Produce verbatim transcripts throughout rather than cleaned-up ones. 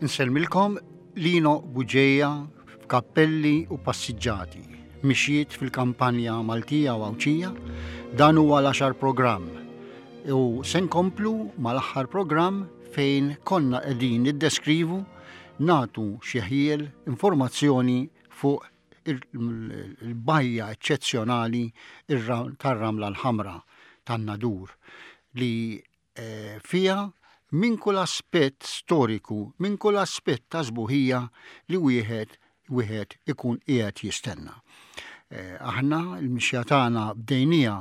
Insellmilkom, Lino Bugeja f'Kappelli u Passiġġati, mixjiet fil-kampanja Maltija u Għawdxija. Dan huwa l-għaxar programm. U se nkomplu mal-aħħar programm fejn konna qegħdin niddeskrivu, nagħtu xi ħjiel informazzjoni fuq il-bajja eċċezzjonali tar-Ramla l-Ħamra tan-Nadur li eh, fija minn kull aspett storiku, minn kull aspett ta' sbuħija li wieħed wieħed ikun qiegħed jistenna. Eh, aħna l-mixja tagħna bdejnija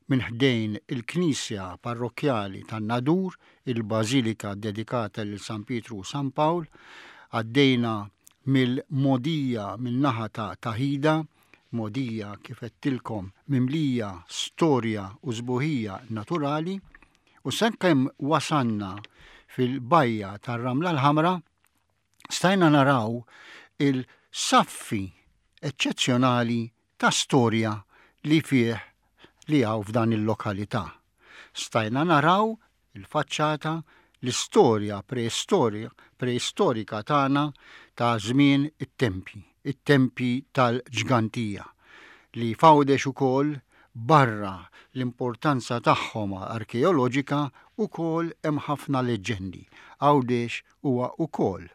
minn ħdejn il-Knisja Parrokkjali tan-Nadur, il-Bażilika dedikata lil San Pietru u San Pawl, għaddejna mill-mogħdija min-naħa ta' Taħida, mogħdija, kif għedtilkom, mimlija storja u sbuħija naturali, u sakemm wasanna fil-bajja tar-Ramla l-Ħamra, stajna naraw il-saffi eċċezzjonali ta' storja li fih li hawn f'dan il-lokalità. Stajna naraw il-faċċata, l-istorja preistorja preistorika tagħna ta' żmien it-tempji, it-tempji tal-Ġgantija, li f'Għawdex ukoll, barra l-importanza tagħhom arkeoloġika, ukoll hemm ħafna leġġendi. Għawdex huwa ukoll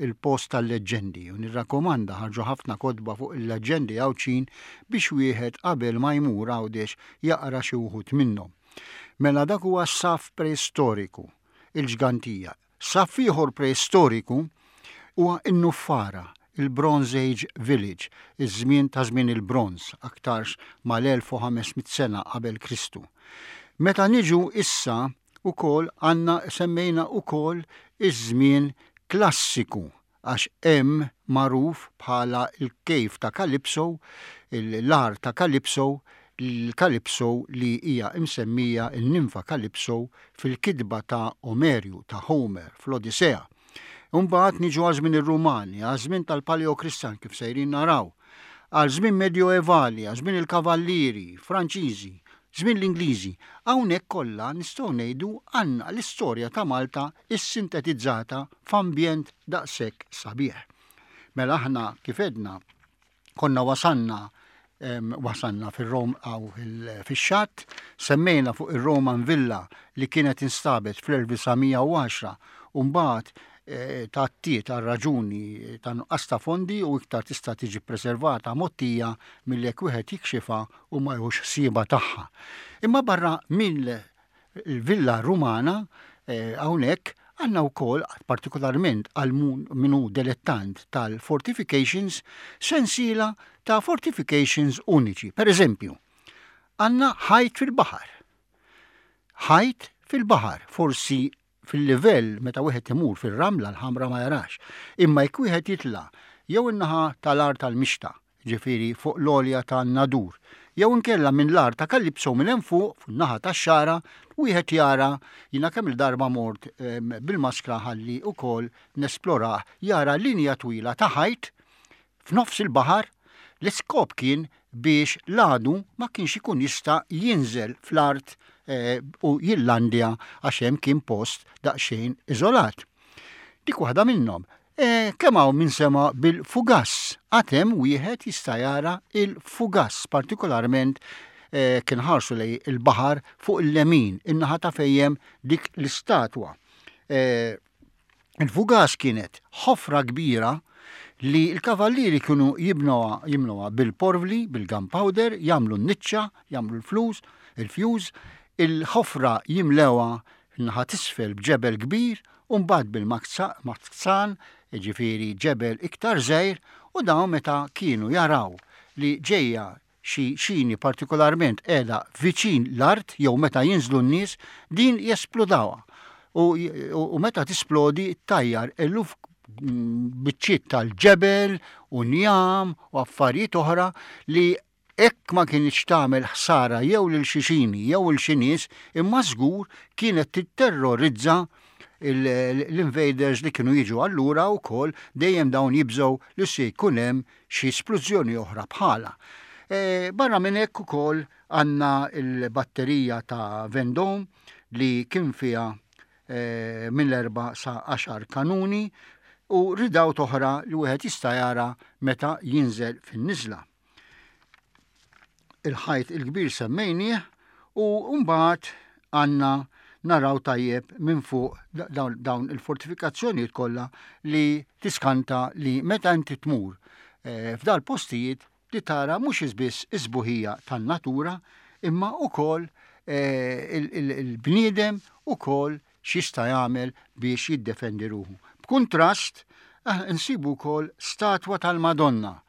il-post tal-leġġendi u nirrakkomanda, ħarġu ħafna kotba fuq il-leġġendi Għawdxin biex wieħed qabel ma jmur Għawdex jaqra xi wħud minnhom. Mela dak huwa saf preistoriku, il-Ġgantija. Saf ieħor preistoriku huwa n-Nuffara, il-Bronze Age Village, iż-żmien ta' żmien il-bronz, aktarx mal-elf u ħames mitt sena qabel Kristu. Meta niġu issa ukoll għandna, semmejna ukoll iż-żmien klassiku, għax hemm magħruf bħala il-Cave ta' Calypso, l-għar ta' Calypso, l-Calypso li hija imsemmija il-ninfa Calypso fil-kitba ta' Omerju, ta' Homer, fl-Odissea. Umbagħad niġu għal żmien ir-Rumani, għal żmien tal-Paleo-Kristjan kif sejrin naraw, għal żmien Medjoevali, għal żmien il-Kavallieri Franċiżi, żmien l-Ingliżi. Hawnhekk kollha nistgħu ngħidu għandna l-istorja ta' Malta issintetizzata f'ambjent daqshekk sabiħ. Mela aħna, kif għedna, konna wasanna wasanna fil-Rom għaw fil-xatt, semmejna fuq il-Roman Villa li kienet instabet fl-elf disa' mija u għaxra u mbagħad eh, tgħattiet għal raġuni ta' nuqqas ta' fondi u iktar tista' tiġi preservata mgħottija milli jekk wieħed jikxifha u ma jħux ħsieba tagħha. Imma barra minn il-Villa Rumana eh, hawnhekk għandna wkoll, partikolarment għal min hu dilettant tal-fortifications, sensiela ta' fortifications uniċi. Per eżempju, għandna ħajt fil-baħar. Ħajt fil-baħar, forsi fil-livell meta wieħed imur fil-Ramla l-Ħamra ma jarax. Imma jekk wieħed jitla' jew in-naħa tal-Għar tal-Mixta, ġifieri fuq l-għolja ta' Nadur, jew inkella minn l-Għar ta' Kalipso minn hemm fuq, fuq naħa tax-Xagħra, wieħed jara, jiena kemm il-darba mort bil-maskra ħalli ukoll nesplorah, jara linja twila ta' ħajt f'nofs il-baħar. L-iskop kien biex l-għadu ma kienx ikun jista' jinżel fl-art eh, u jillandja, għax hemm kien post daqsxejn iżolat. Dik waħda minnhom. E, kemm hawn min sema bil-fugass? Għad hemm wieħed jista' jara il-fugass, partikolarment e, kien ħarsu lejn il-baħar fuq il-lemin, in-naħa ta' fejn hemm dik l-istatwa. E, il-fugass kienet ħofra kbira li l-kavallieri kienu jibnuha jimluha bil-porvli, bil-gunpowder, jagħmlu n-niċċa, jagħmlu l-flus, il-fuse, il-ħofra jimlewha naħa t'isfel b'ġebel kbir u mbagħad bil-mazzan, ġifieri ġebel iktar żgħir, u dawn meta kienu jaraw li ġejja xi xini, partikolarment qiegħda viċin l-art jew meta jinżlu n-nies, din jesplodawha. U, u, u meta tisplodi tajjar eluf biċċiet tal-ġebel u njam u affarijiet oħra li hekk ma kienx tagħmel ħsara jew lil xi xini jew lil xi nies, imma żgur kienet titterrorizza l-invaders li kienu jiġu. Allura wkoll dejjem dawn jibżgħu li se jkun hemm xi splużjoni oħra bħala. E, barra minn hekk ukoll għandna il-batterija ta' Vendôme li kien fiha e, minn l-erba sa għaxar kanuni. u ridawt oħra li wieħed jista' jara meta jinżel fin-niżla. Il-ħajt il-kbir semmejnieh u mbagħad għandna naraw tajjeb minn fuq dawn il-fortifikazzjonijiet kollha li tiskanta li meta inti tmur eh, f'dal postijiet li tara mhux biss is-sbuħija tan-natura imma wkoll eh, il-bniedem ukoll x'jista' jagħmel biex jiddefendi ruħu. B'kuntrast, eh, nsibu wkoll statwa tal-Madonna.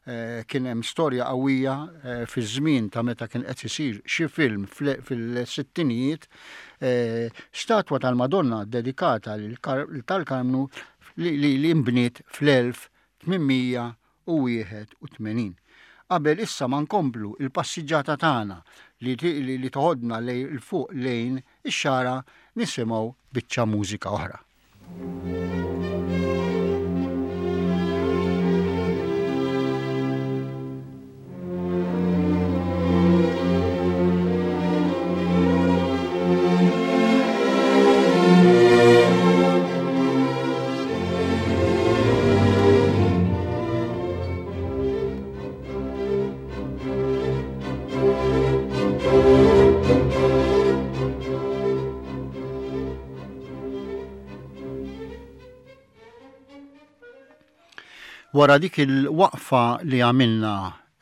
Eh, kien hemm storja qawwija eh, fiż-żmien ta' meta kien qed isir xi film fil-sittinijiet, eh, statwa tal-Madonna dedikata tal-Karmnu li nbniet fl-elf tmien mija u wieħed u tmenin. Qabel issa ma nkomplu il-passiġġata tagħna li, li, li toħodna lejn il fuq lejn ix-Xagħra, nisimgħu biċċa mużika oħra. Wara dik il-waqfa li għamilna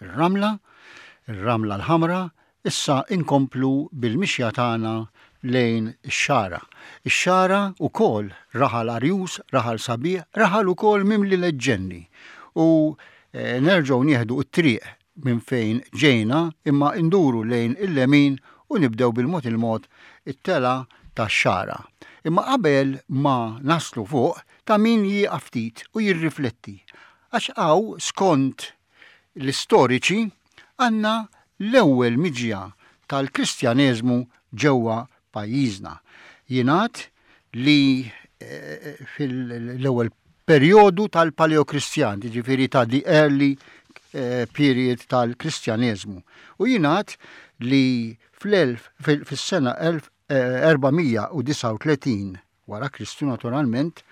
ir-Ramla, ir-Ramla l-Ħamra, issa inkomplu bil-mixja tagħna lejn ix-Xagħra. Ix-Xagħra ukoll raħal arjus, raħal sabiħ, raħal ukoll mimli leġġendi. U eh, nerġgħu nieħdu t-triq minn fejn ġejna imma nduru lejn il-lemin u nibdew bil-mod il-mod it-tela tax-Xagħra. Imma qabel ma naslu fuq, ta' min jieqaf ftit u jirrifletti. Għax hawn, skont l-istoriċi, għandna l-ewwel miġja tal-Kristjaneżmu ġewwa pajjiżna. Jingħad li eh, fil-ewwel perjodu tal-Paleokristjan, jiġifieri ta' the early eh, period tal-Kristjaneżmu. U jingħad li fis-sena elf erba' mija u disgħa u tletin wara Kristu naturalment,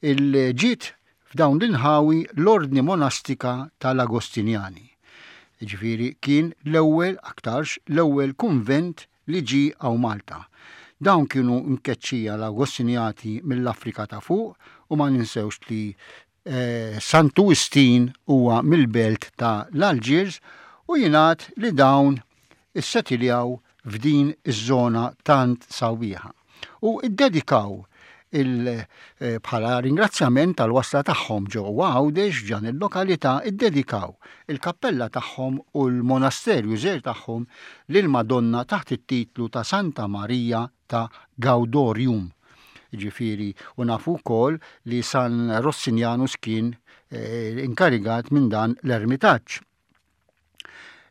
il-ġiet f'dawn l-inħawi l-ordni monastika tal-Agostinjani. Ġifieri kien l-ewwel, aktarx l-ewwel kunvent li ġi hawn Malta. Dawn kienu mkeċċija l-Agostinjati mill-Afrika ta' fuq u ma ninsewx li eh, Santu Wistin huwa mill-belt ta' l-Algiers u jingħad li dawn issetiljaw f'din iż-żona tant sabiħa. U iddedikaw il eh, bħala ringrazzjament tal-wasla tagħhom ġewwa Għawdex f'dan il-lokalità, iddedikaw il-kappella tagħhom u l-monasterju żgħir tagħhom lil Madonna taħt it-titlu ta' Santa Maria ta' Gaudorium. Ġifieri, u nafu wkoll li San Rossinianus kien eh, inkarigat minn dan l-ermitaġġ.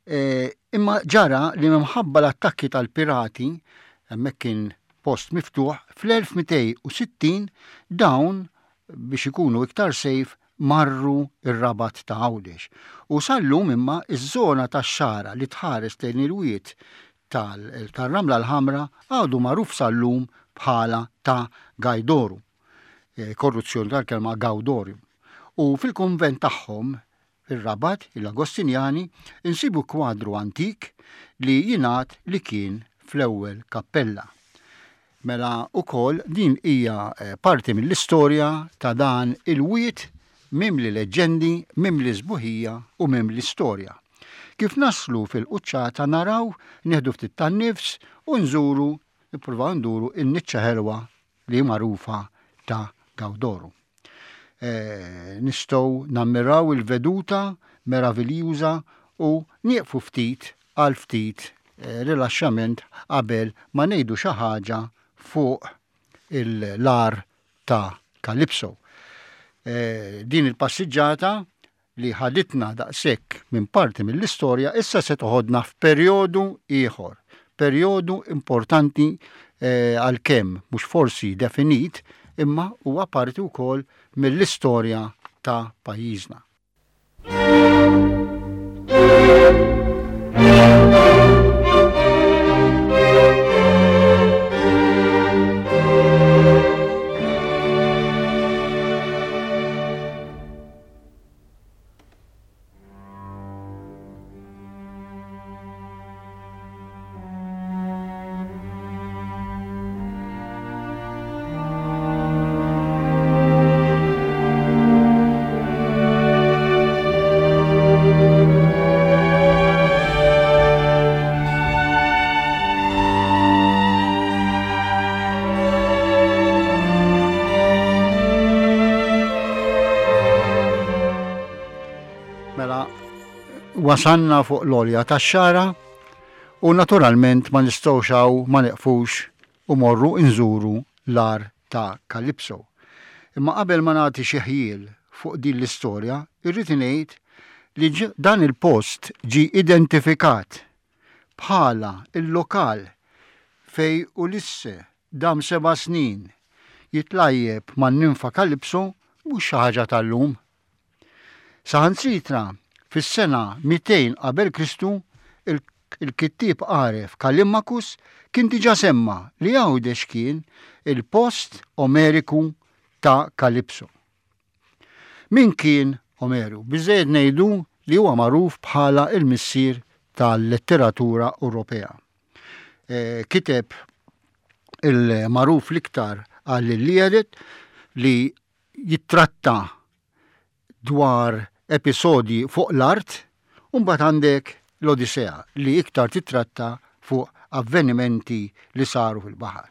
Eh, imma ġara li minħabba l-attakki tal-pirati, hemmhekk kien post miftuħ, fl-elf mitejn u sittin dawn biex ikunu iktar safe marru ir-Rabat ta' Għawdex. U sal-lum imma iż-żona tax-Xagħra li tħares lejn il-wied tal-Ramla l-Ħamra għadu magħruf sal-lum bħala ta' Gajdoru. Eh, korruzzjoni tal-kelma Gaudorium. U fil-konvent tagħhom fir-Rabat, il-Agostinjani, insibu kwadru antik li jingħad li kien fl-ewwel kappella. Mela ukoll din hija eh, parti mill-istorja ta' dan il-wied mimli leġġendi, mimli sbuħija u mimli storja. Kif naslu fil-quċċata naraw, nieħdu ftit tan-nifs u nżuru, nippruvaw nduru in-niċċa ħelwa li magħrufa ta' Gawdoru. E, nistgħu nammiraw il-veduta meraviljuża u nieqfu ftit għal ftit e, rilaxxament qabel ma ngħidu xi ħaġa fuq l-għar ta' Kalipso. E, din il-passiġġata li ħaditna daqshekk minn parti mill-istorja issa se toħodna f'perjodu ieħor, perjodu importanti eh, għalkemm mhux forsi definit, imma huwa parti wkoll mill-istorja ta' pajjiżna. Wasanna fuq l-għolja tax-Xagħra u naturalment ma nistgħux hawn ma neqfux u morru nżuru l-għar ta' Kalipso. Imma qabel ma nagħti xi ħjiel fuq din l-istorja, irrid ngħid li dan il-post ġi identifikat bħala il-lokal fej Ulisse dam seba' snin jitlajjeb man-ninfa Kalipso mhux xi ħaġa tal-lum. Saħansitra fis-sena mitejn qabel Kristu il-kittieb għaref Kallimachus kien diġà semma li Għawdex kien il-post Omeriku ta' Kalipso. Min kien Omeru? Biżżejjed ngħidu li huwa magħruf bħala il-missier tal-letteratura Ewropea. E, kiteb il-magħruf l-iktar għall-Iliad li jittratta dwar episodji fuq l-art, u mbagħad għandek l-Odissea li iktar titratta fuq avvenimenti li saru fil-baħar.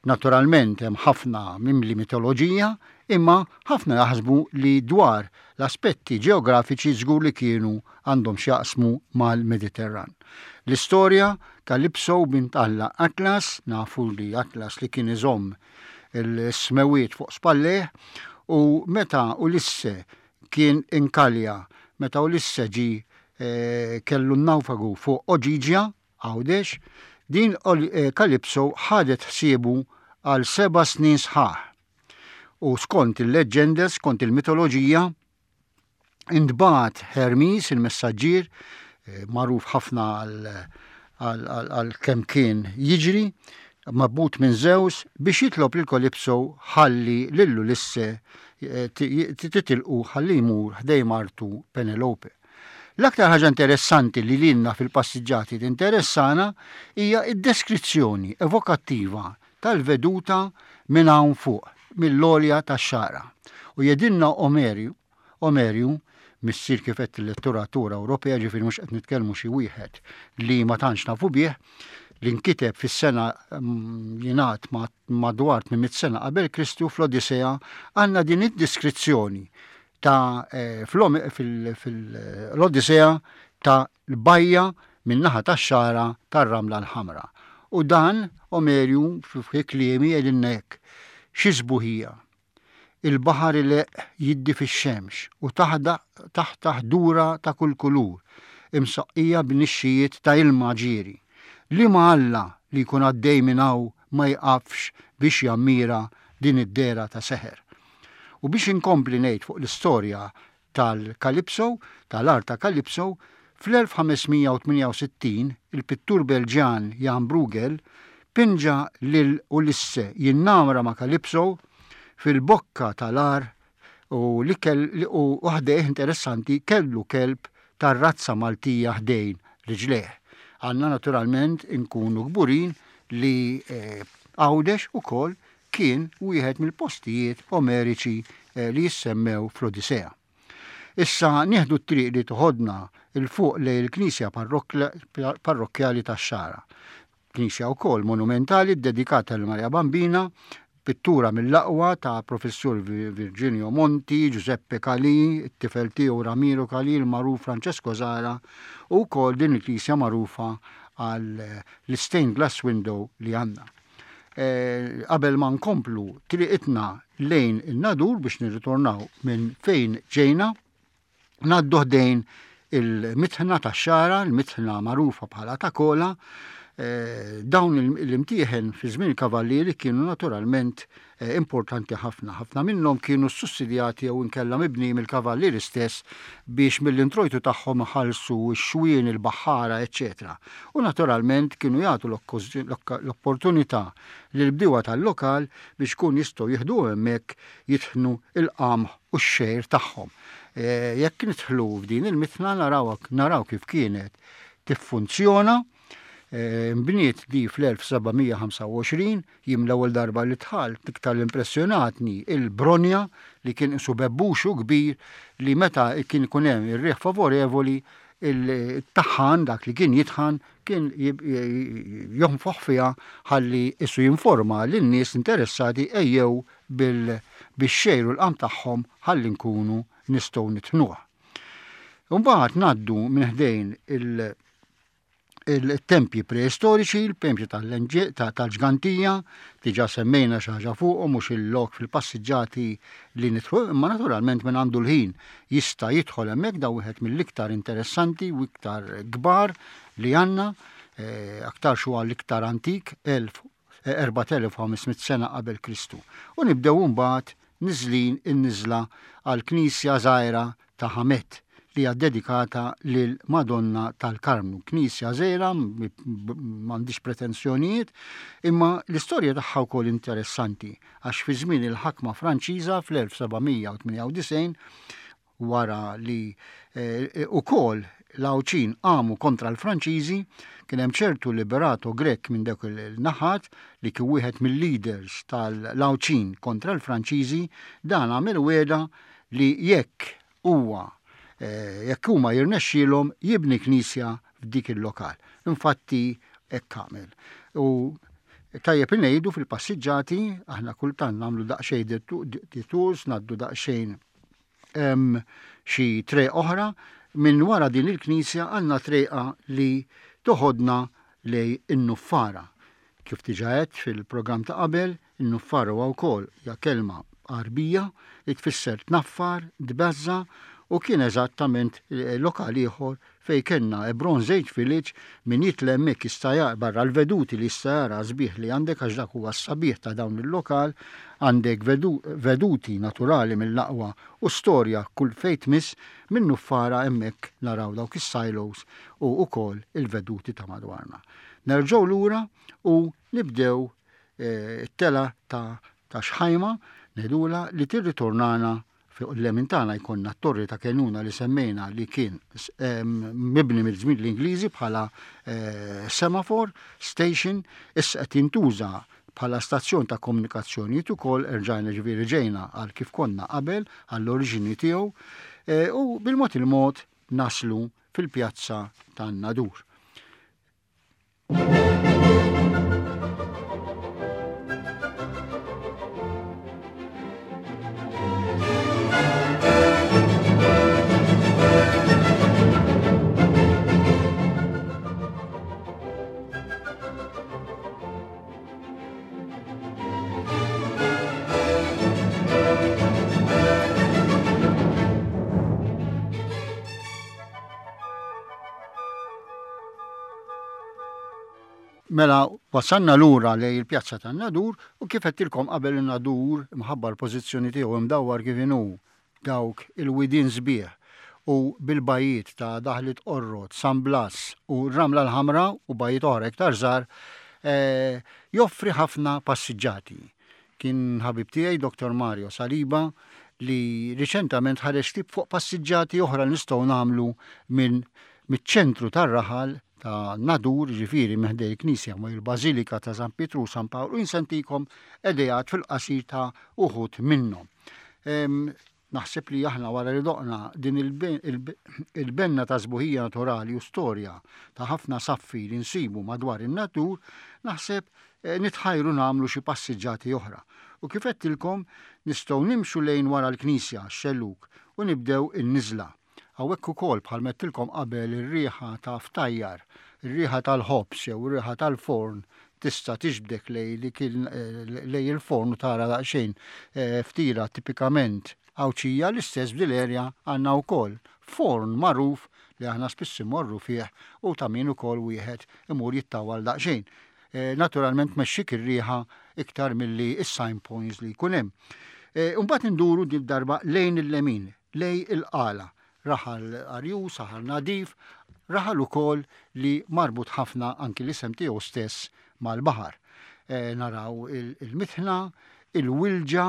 Naturalment hemm ħafna mimli mitoloġija, imma ħafna jaħsbu li dwar l-aspetti ġeografiċi żgur li kienu għandhom x'jaqsmu mal-Mediterran. L-istorja Kalipso bint Alla Atlas, nafu li Atlas li kien iżomm il-smewiet fuq spalleh, u meta Ulisse kien inkalja, meta Ulisse ġi eh, kellu n-nawfagu fuq Oġiġja, Għawdex, din eh, Kalipso ħadet ħsiebu għal seba' snin sħaħ. U skont il-leġġende, skont il-mitoloġija, intbagħat Hermes, il-messaġġier, eh, magħruf ħafna għal kemm kien jiġri, mabut minn Zeus biex jitlob lil Kalipso ħalli lil Ulisse eh, titilqu ħalli jmur ħdej martu Penelope. L-aktar ħaġa interessanti li lilna fil-passiġġati tinteressana hija id-deskrizzjoni evokattiva tal-veduta minn hawn fuq, mill-għolja tax-Xagħra. U jedinna Omerju, Omerju, missier kif qed il-letteratura Ewropea, ġifieri mhux qed nitkellmu xi wieħed li ma tantx nafu bih, li nkiteb fis-sena mm, jingħad madwar tmien mitt sena qabel Kristu fl-Odissea, għandna din id-deskrizzjoni ta' eh, fil-Odissea ta' l-bajja min-naħa tax-Xagħra tar-Ramla l-Ħamra. U dan Omerju fi kliemi jgħidilna hekk: xi sbuħija. Il-baħar ileqq jiddi fix-xemx u taħta ħdura ta' kull kulur, imsaqqija b'nixxijiet ta' ilma ġieri. Liema Alla li jkun għaddej minn hawn ma jqafx biex jammira din id-dera ta' seħer. U biex inkompli ngħid fuq l-istorja tal-Kalipso, tal-art ta' Kalipso, fl-elf ħames mija u tmienja u sittin il-pittur Belġjan Jan Bruegel pinġa lil Ulisse jinnamra ma' Kalipso fil-bokka tal-ar u li kell u ħdejh interessanti kellu kelb tar-razza Maltija ħdejn riġlejh. Għanna naturalment inkunu kburin li, eh, Għawdex ukoll kien wieħed mill-postijiet omeriċi, eh, li jissemmew fl-Odissea. Issa nieħdu t-triq li toħodna il fuq lejn il-Knisja parrokkjali tax-Xagħra. Knisja wkoll monumentali dedikata lil Maria Bambina, pittura mill-aqwa ta' Professur Virginio Monti, Giuseppe Calì, it-tifel tiegħu Ramiro Calì, il-magħruf Francesco Zara, u wkoll din il-knisja magħrufa għal l-stained glass window li għandna. Eh, qabel ma nkomplu triqitna lejn in-Nadur biex nirritornaw minn fejn ġejna, ngħaddu ħdejn il-mitħna tax-Xagħra, il-mitħna magħrufa bħala ta' Kola. Eh, dawn l-imtieħen fi żmien il-kavallieri kienu naturalment, eh, importanti ħafna. Ħafna minnhom kienu sussidjati jew inkella mibni mill-kavallieri stess biex mill-introjtu tagħhom iħallsu x-xwien, il-baħħara, eċċetera. U naturalment kienu jagħtu l-opportunità lill-bdiewa tal-lokal biex kun jistgħu jieħdu hemmhekk jitħnu il-qamħ u x-xejr tagħhom. Eh, jekk nidħlu f'din il-mitħna naraw, naraw kif kienet tiffunzjona. Eh, nbniet di fl-elf seba' mija ħamsa u għoxrin, jiem l-ewwel darba li dħalt iktar l-impressjonatni il-bronja li kien isu bebbuxu kbir li meta kien ikun hemm ir-riħ favorevoli il-taħan dak li kien jitħan kien jonfoħ fiha ħalli isu jinforma lin-nies interessati ejjew bil-bix-xejr u l-qam tagħhom ħalli nkunu nistgħu nitħnuh. Mbagħad ngħaddu minn ħdejn il- il-tempji preistoriċi, il-tempji tal-Ġgantija, diġà semmejna xi ħaġa fuqhom, mhux il-lok fil-passiġġati li nidħlu, imma naturalment minn għandu l-ħin jista' jidħol hemmhekk. Da wieħed mill-iktar interessanti u iktar kbar li għandna, eh, aktar xu l-iktar antik, erbat elef u ħames mitt sena qabel Kristu. U nibdew mbagħad niżlin in-niżla għal knisja żgħira ta' Ħamet li hija dedikata lil Madonna tal-Karmnu. Knisja żgħira, m'għandix pretensjonijiet, imma l-istorja tagħha wkoll interessanti, għax fi żmien il-ħakma Franċiża fl-elf seba' mija u tmienja u disgħin, wara li eh, ukoll l-Għawdxin qamu kontra l-Franċiżi, kien hemm ċertu Liberato Grech minn dak il-naħat li kien wieħed mill-leaders tal-Għawdxin kontra l-Franċiżi. Dan għamel wegħda li jekk huwa eh, jekk huma jirnexxielhom jibni knisja f'dik il-lokal. Infatti hekk għamel. U tajjeb ngħidu, fil-passiġġati aħna kultant nagħmlu daqsxejn detours, ngħaddu daqsxejn xi triq oħra. Minn wara din il-knisja għandna triqa li toħodna lejn in-Nuffara. Kif diġà għedt fil-programm ta' qabel, in-Nuffara huwa wkoll hija kelma Għarbija li tfisser tnaffar, tbeżża', u kien eżattament eh, lokal ieħor fej kellna Bronze Age Village. Min jitla' hemmhekk jista' jara barra l-veduti li jista' jara sbieħ li għandek, għax dak huwa s-sabiħ ta' dawn il-lokal, għandek veduti naturali mill-aqwa u storja kull fejn tmiss. Minn Nuffara hemmhekk naraw dawk is-silos u ukoll il-veduti ta' madwarna. Nerġgħu lura u nibdew eh, it-tela ta' ta' Xħajma ngħidulha, li tirritornana fuq il-lemin tagħna. Jkollna t-torri ta' Kenuna li semmejna, li kien mibni mill-żmien l-Ingliżi bħala eh, semaphore station, issa qed jintuża bħala stazzjon ta' komunikazzjonijiet ukoll. Erġajna, ġifieri, ġejna għal kif konna qabel, għall-oriġini tiegħu, eh, u bil-mod il-mod naslu fil-pjazza tan-Nadur. Mela, wasanna lura lejn il-pjazza tan-Nadur u kif għedtilkom qabel, in-Nadur, mħabba l-pożizzjoni tiegħu, imdawwar kif inhu dawk il-widien sbieħ u bil-bajiet ta' Daħlit Qorrot, San Blas u Ramla l-Ħamra u bajiet oħra iktar żgħar, eh, joffri ħafna passiġġati. Kien ħabib tiegħi Doktor Mario Saliba li riċentament ħareġ ktieb fuq passiġġati oħra li nistgħu nagħmlu minn miċ-ċentru tar-raħal ta' Nadur, ġifieri minn ħdejn il-Knisja ma' il-Bażilika ta' San Pietru u San Pawl, u nagħtikom ideat fil-qasir ta' uħud minnhom. Naħseb li aħna, wara li doqna din il-benna ta' sbuħija naturali u storja ta' ħafna saffi li nsibu madwar in-Nadur, naħseb eh, nitħajru nagħmlu xi passiġġati oħra. U kif għedtilkom, nistgħu nimxu lejn wara l-Knisja, xellug, u nibdew in-niżla. Hawnhekk ukoll, bħal m'għedtilkom qabel, ir-riħa ta' ftajjar, ir-riħa tal-ħobż jew ir-riħa tal-forn tista' tiġbdek lej li kien eh, lejn il-forn u tara daqsxejn eh, ftira tipikament Għawdxija. L-istess b'dil-erja għandna wkoll forn magħruf li aħna spiss immorru fih u ta' min ukoll wieħed imur jittawal daqsxejn. Eh, naturalment mexxik ir-riħa iktar milli is-sign points li jkun hemm. Mbagħad induru din darba lejn il-lemin, lejn il-Qala, raħal arjus, raħal nadif, raħal ukoll li marbut ħafna, anki l-isem tiegħu stess, mal-baħar. E, naraw il-mitħna, il-wilġa,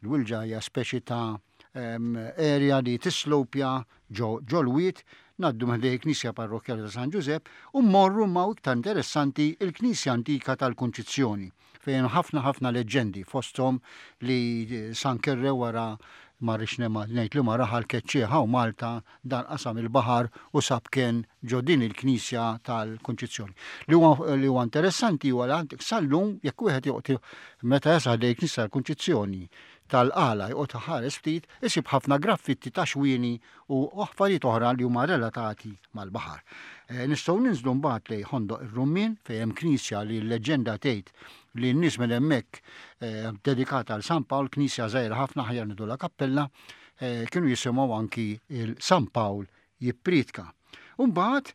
il-wilġa hija speċi ta' area li tislopja ġol-wied, ngħaddu ħdejn Knisja Parrokkjali ta' San Ġużepp u mmorru ma' iktar interessanti, il-Knisja Antika tal-Kunċizzjoni, fejn ħafna ħafna leġġendi, fosthom li San Kerre, wara Ma rridx ngħid li ma raħal keċċieħa u Malta dan qasam il-baħar u sab kien ġo din il-Knisja tal-Kunċizzjoni. Li huwa li huwa interessanti huwa li għandek sal-lum, jekk wieħed joqgħod meta jasal lejn Knisja tal-Kunċizzjoni tal-Qala joqgħod ħares ftit, isib ħafna graffitti ta' xwieni u affarijiet oħra li huma relatati mal-baħar. E, nistgħu ninżlu mbagħad lejn Ħondoq ir-Rummien, fejn hemm knisja li l-leġġenda tgħid li n-nies minn hemmhekk, eh, dedikata għal San Pawl, knisja żgħira ħafna, aħjar ngħidulha kappella, eh, kienu jisimgħu anki il-San Pawl jippritka. Umbagħad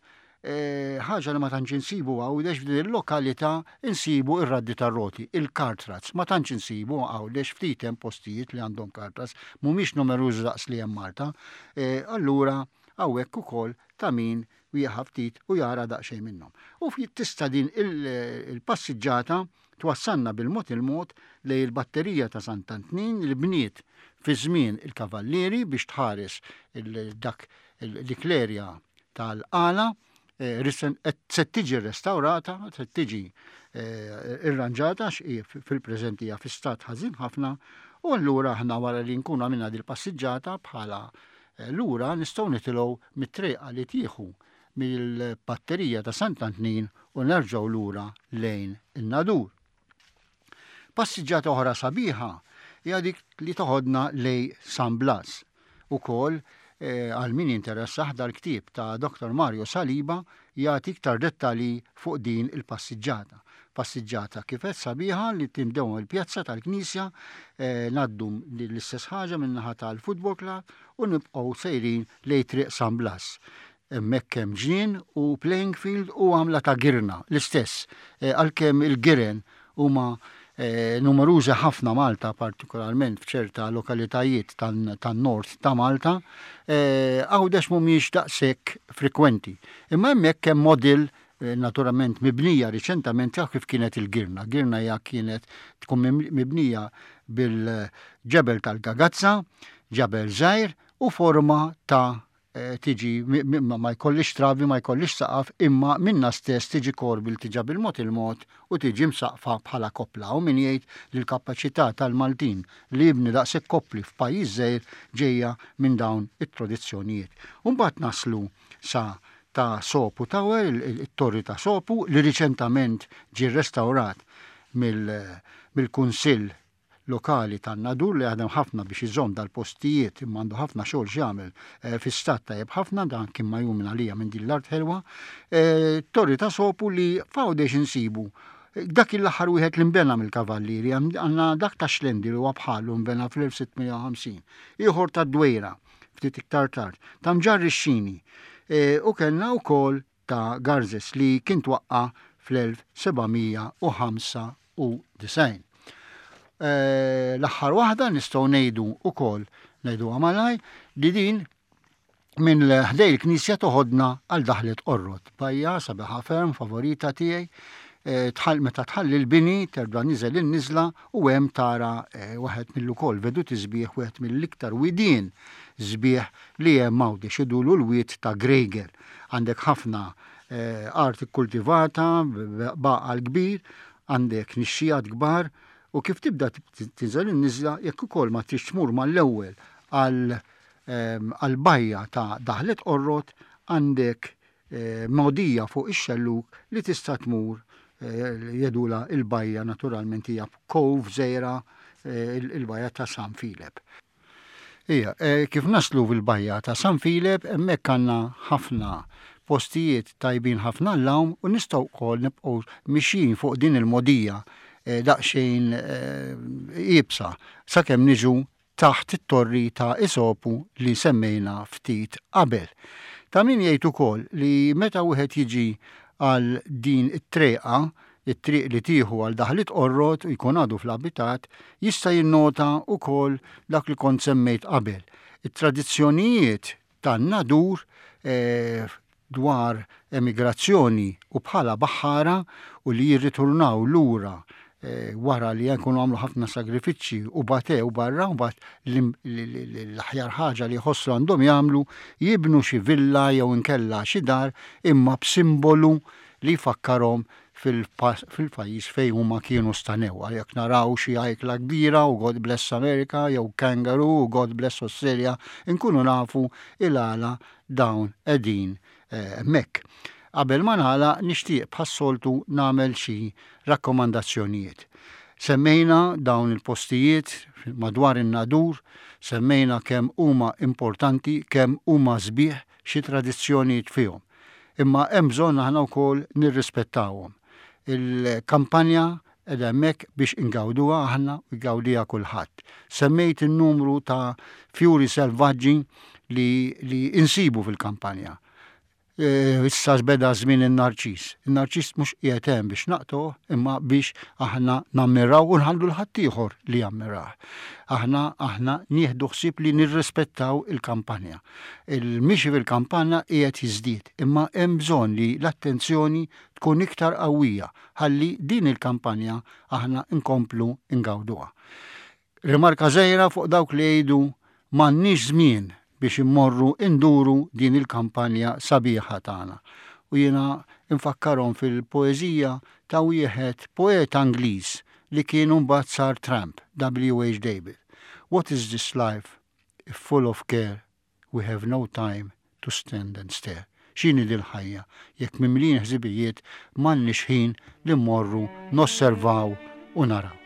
eh, ħaġa li ma tantx insibu Għawdex, f'din il-lokalità insibu ir-raddi tar-roti, il-cart ruts. Ma tantx insibu Għawdex, ftit hemm postijiet li għandhom cart ruts, mhumiex numerużi daqs li hemm Malta. Allura hawnhekk ukoll ta' min wieħed ftit u jara daqsxejn minnhom. U tista' din il-passiġġata twassalna bil-mod il-mod lejn il-batterija ta' Sant'Antnin li bniet fi żmien il-Kavallieri biex tħares dak dik l-erja tal-Qala. eh, se tiġi restaurata, se tiġi eh, irranġata fil-preżenti fi stat ħażin ħafna, u allura aħna wara li nkunu għamilna dil-passiġġata bħala eh, lura nistgħu nitilgħu mit-triqa li tieħu mill-batterija ta' Sant'Antnin u nerġgħu lura lejn in-Nadur. Passiġġata oħra sabiħa hija dik li toħodna lejn San Blas. Ukoll eh, għal min jinteressah, dal-ktieb ta' Doktor Mario Saliba jagħti iktar dettalji fuq din il-passiġġata. Passiġġata kif qed sabiħa li tibdew il-pjazza tal-Knisja, eh, ngħaddu l-istess ħaġa min-naħa tal-Football Club u nibqgħu sejrin lejn Triq San Blas. Hemmhekk hemm ġnien u playing field u għamla ta' girna, l-istess, eh, għalkemm il-giren huma eh, numerużi ħafna Malta, partikolarment f'ċerta lokalitajiet tan-nord ta' Malta, eh, Għawdex mhumiex daqshekk frekwenti. Imma hemmhekk hemm model, naturalment mibnija riċentament, ta' kif kienet il-girna. Girna hija kienet tkun mibnija bil-ġebel tal-gagazza, ġebel żgħir u forma ta' Eh, tiġi ma jkollix travi, ma jkollix saqaf, imma minna stess tiġi korbil tiġa bil-mod il-mod u tiġi msaqfa bħala kopla. U min jgħid li l-kapaċità tal-Maltin li jibni daqshekk kopli f'pajjiż żgħir ġejja minn dawn it-tradizzjonijiet. Mbagħad naslu sa ta' Sopu Tower, il-torri ta' Sopu, li riċentament ġi restaurat mill-Kunsill lokali tan-Nadur li jaħdem ħafna biex iżomm dal-postijiet, imma għandu ħafna xogħol x'jagħmel, eh, fi stat tajjeb ħafna. Dan kien majjum minn għalija minn din l-art ħelwa. Eh, torri ta' Sopu li f'Għawdex insibu dak l-aħħar wieħed li nbena mill-Kavallieri, għandna dak ta' Xlendi li huwa bħalu, nbena fl-elf sitt mija u ħamsin, ieħor ta' Dwejra ftit iktar tard, ta' Mġarr ix-Xini, e, u kellna wkoll ta' Garzes li kien twaqqa fl-elf seba' mija u ħamsa u disgħin. Eh, l-aħħar waħda nistgħu ngħidu ukoll, ngħidu malaj, li din minn ħdej il-knisja toħodna għal Daħlet Qorrot. Bajja sabiħa ferm, favorita tiegħi. Eh, tħall meta tħalli l-bini terġa' niżel in-niżla u hemm tara eh, waħed mill-ukoll veduti sbieħ, wieħed mill-iktar widien sbieħ li hemm Għawdex, jgħidulu l-wied ta' Grejgel. Għandek ħafna art kultivata, baqal kbir, għandek nixxijat kbar u kif tibda tinżel in-niżla, jekk ukoll ma tridx tmur mal-ewwel għal għal-bajja ta' Daħlet Qorrot, għandek eh, mogħdija fuq ix-xelluk li tista' tmur, eh, jgħidulha il-bajja, naturalment hija cove żgħira, eh, il-bajja ta' San Filep. Ija, kif naslu fil-bajja ta' San Filep, hemmhekk għandna ħafna postijiet tajbin ħafna l-għawm u nistgħu wkoll nibqgħu mixjin fuq din il-mogħdija daqsxejn iebsa sakemm niġu taħt it-torri ta' Isopu li semmejna ftit qabel. Ta' min jgħid ukoll li meta wieħed jiġi għal din it-treqa, it-triq li tieħu għal Daħlit Qorrot u jkun għadu fl-abitat, jista' jinnota ukoll dak li kont semmejt qabel. It-tradizzjonijiet tan-Nadur eh, dwar emigrazzjoni u bħala baħħara u li jirriturnaw lura Eh, wara li jkunu għamlu ħafna sagrifiċċji u batew barra, u bat l-aħjar ħaġa li jħossu għandhom jagħmlu, jibnu xi villa jew inkella xi dar, imma b'simbolu li jfakkarhom fil-pajjiż fejn huma kienu stanew. Jekk naraw xi ajkla kbira u "God bless America" jew kangaroo u "God bless Australia", inkunu nafu il-għala dawn qegħdin hemmhekk. Qabel ma nagħlaq, nixtieq bħas-soltu nagħmel xi rakkomandazzjonijiet. Semmejna dawn il-postijiet madwar in-Nadur, semmejna kemm huma importanti, kemm huma sbieħ, xi tradizzjonijiet fihom. Imma hemm bżonn aħna wkoll nirrispettawhom. Il-kampanja qiegħda hemmhekk biex ingawduha aħna u jgawdiha kulħadd. Semmejt in-numru ta' fjuri selvaġġi li, li insibu fil-kampanja. E, issa beda żmien in-narċis. In-narċis mhux qiegħed hemm biex naqtgħuh, imma biex aħna nammiraw u nħallu 'l ħaddieħor li jammirah. Aħna aħna nieħdu ħsieb li nirrispettaw il-kampanja. Il-mixi fil-kampanja qiegħed jiżdied, imma hemm bżonn li l-attenzjoni tkun iktar qawwija ħalli din il-kampanja aħna nkomplu ngawduha. Rimarka żgħira fuq dawk li jgħidu "m'għandniex żmien biex immorru induru din il-kampanja sabiħa tagħna". U jiena infakkarhom fil-poeżija ta' wieħed poeta Ingliż li kien mbagħad sar tramp, W H. David. "What is this life if full of care we have no time to stand and stare?" X'inhi dil-ħajja jekk mimlin ħsibijiet m'għandniex ħin li mmorru nosservaw u naraw?